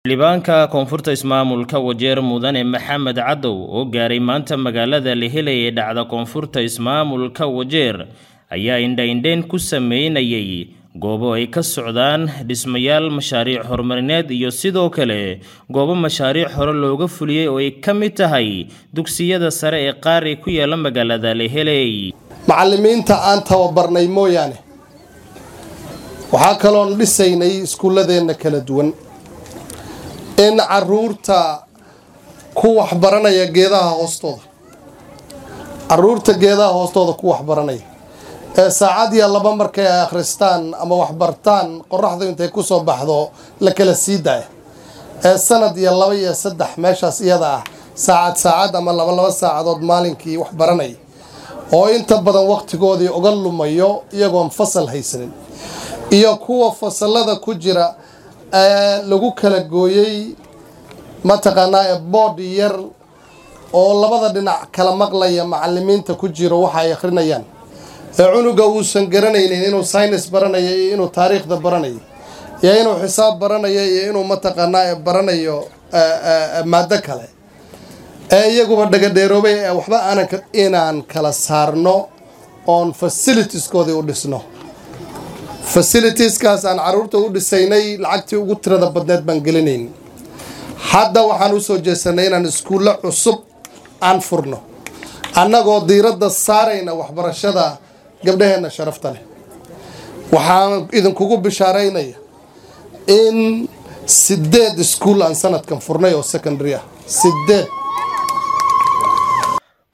Xildhibaanka Koonfurta Ismaamulka Wajeer Mudane Maxamed Cadow oo gaaray maanta magaalada Leheley ee dhacda Koonfurta Ismaamulka Wajeer ayaa indha-indheyn ku sameynayay goobo ay ka socdaan dhismayaal mashaariic horumarineed iyo sidoo kale goobo mashaariic hore looga fuliyey oo ay ka mid tahay dugsiyada sare ee qaar ee ku yaala magaalada Leheley. Macallimiinta aan tababarnay mooyaane, waxaa kaloon dhisaynay iskuulladeenna kala duwan in caruurta ku waxbaranaya geedaha hoostooda, caruurta geedaha hoostooda ku waxbaranaya ee saacad iyo laba markay ay akhristaan ama waxbartaan qoraxdu intay ku soo baxdo la kala sii daaya, ee sanad iyo laba iyo saddex meeshaas iyada ah saacad saacad ama laba laba saacadood maalinkii waxbaranaya oo inta badan wakhtigoodii uga lumayo iyagoon fasal haysanin, iyo kuwa fasalada ku jira ee lagu kala gooyey mataqaanaa ee boodh yar oo labada dhinac kala maqlaya macalimiinta ku jiro waxa ay akhrinayaan, ee cunuga uusan garanaynin inuu saynis baranayo iyo inuu taariikhda baranayo iyo inuu xisaab baranayo iyo inuu mataqaanaa ee baranayo maado kale, ee iyaguba dhagadheeroobay ee waxba aanan inaan kala saarno oon facilitieskoodii u dhisno. Facilitieskaas aan caruurta u dhisaynay lacagtii ugu tirada badneed baan gelinayn. Hadda waxaan usoo jeesanay inaan iskuullo cusub aan furno, annagoo diiradda saarayna waxbarashada gabdhaheenna sharafta leh. Waxaan idinkugu bishaaraynaya in 8 iskuul aan sanadkan furnay oo secondary ah, 8.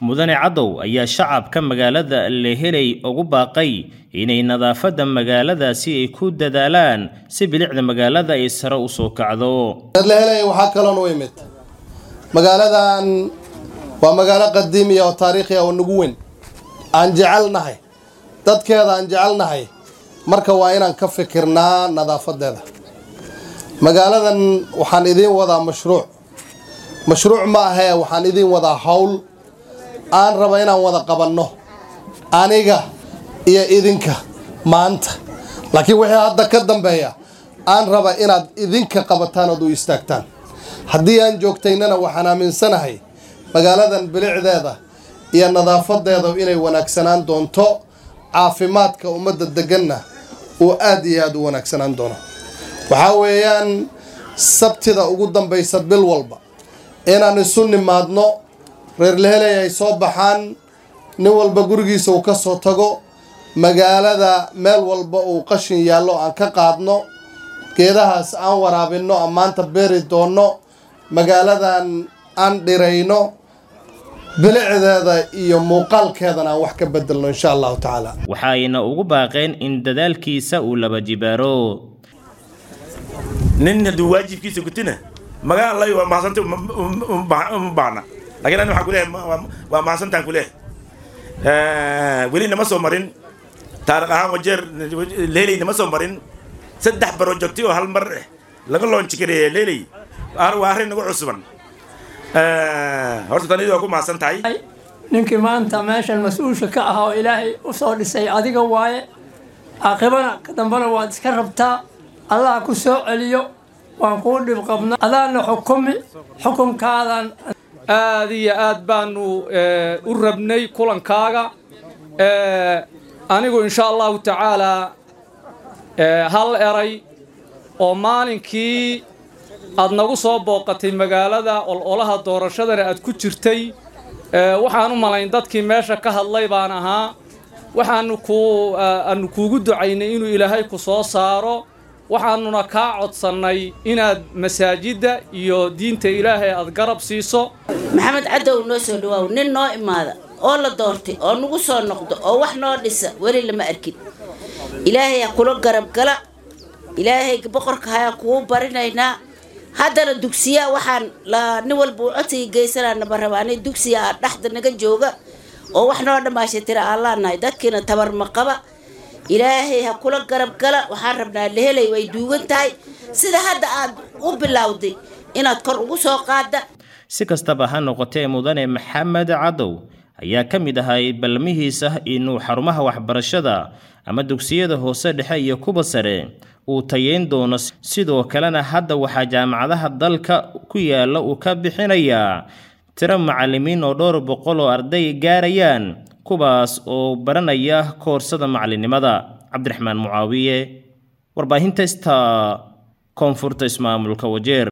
Mudane Cadow ayaa shacabka magaalada Leheley ugu baaqay inay nadaafadda magaaladaasi ay ku dadaalaan si bilicda magaalada ay sare u soo kacdo. Leheley waxaa kaloon u imid, magaaladan waa magaalo qadiimiya oo taariikhi ah oo nagu weyn, aan jecelnahay dadkeeda, aan jecelnahay. Marka waa inaan ka fikirnaa nadaafadeeda magaaladan. Waxaan idiin wadaa mashruuc, mashruuc ma ahee, waxaan idiin wadaa hawl aan raba inaan wada qabanno aniga iyo idinka maanta, laakiin wixii hadda ka dambeeya aan raba inaad idinka qabataan ood u istaagtaan. Haddii aan joogtaynana, waxaan aaminsanahay magaaladan bilicdeeda iyo nadaafadeeda inay wanaagsanaan doonto, caafimaadka ummadda deganna uu aad iyo aada u wanaagsanaan doono. Waxaa weeyaan Sabtida ugu dambaysa bil walba inaan isu nimaadno, reer Leheley ay soo baxaan, nin walba gurigiisa uu ka soo tago, magaalada meel walba uu qashin yaallo aan ka qaadno, geedahaas aan waraabinno, aan maanta beeri doonno, magaaladan aan dhirayno, bilicdeeda iyo muuqaalkeedana aan wax ka bedelno, insha Allahu tacaala. Waxa ayna ugu baaqeen in dadaalkiisa uu laba jibaaro. Nin hadduu waajibkiisa gutina magaan lay waa mahadsanta uma baahna, lakin ani waxaan kuleeyahay waa mahadsantaan kuleeyahay. Weli nama soo marin taariikh ahaan Wajeer Leheley, nama soo marin saddex projecti oo hal mar laga launch gareeyay Leheley. Waa arrin nagu cusuban. Horta tanidi waa ku mahadsan tahay. Ninkii maanta meeshan mas-uulka ka ahaa oo Ilaahay u soo dhisay adiga waaye, caaqibana ka dambena waad iska rabtaa. Allah ku soo celiyo, waan kuu dhib qabna, adaana xukumi xukunkaadan. Aad iyo aad baanu u rabnay kulankaaga. Anigu insha Allahu tacaalaa hal eray oo maalinkii aad nagu soo booqatay magaalada ololaha doorashadana aad ku jirtay, waxaan u malayn dadkii meesha ka hadlay baan ahaa, waxaanu ku aanu kuugu ducaynay inuu Ilaahay ku soo saaro, waxaanuna kaa codsannay inaad masaajidda iyo diinta Ilaahay aad garab siiso. Maxamed Cadow, noo soo dhawaaw. Nin noo imaada oo la doortay oo nagu soo noqdo oo wax noo dhisa weli lama arkin. Ilaahay ha kula garab gala, Ilaahay boqorka hayaa kugu barinaynaa. Haddana dugsiya waxaan nin walba uu codsiga geysanaa naba rabaanay, dugsiya dhexda naga jooga oo wax noo dhammaashay tira aan laanahay, dadkiina tabar ma qaba. Ilaahay ha kula garab gala. Waxaan rabnaa Lehelay way duugan tahay, sida hadda aad u bilowday inaad kor ugu soo qaada. Si kastaba ha noqotee, Mudane Maxamed Cadow ayaa ka mid ahay balmihiisa inuu xarumaha waxbarashada ama dugsiyada hoose dhexe iyo kuwa sare uu tayeyn doono. Sidoo kalena hadda waxaa jaamacadaha dalka ku yaala uu ka bixinayaa tiro macallimiin oo dhowr boqol oo arday gaarayaan, kuwaas oo baranaya koorsada macallinimada. Cabdiraxmaan Mucaawiye, warbaahinta Star, koonfurta ismaamulka Wajeer.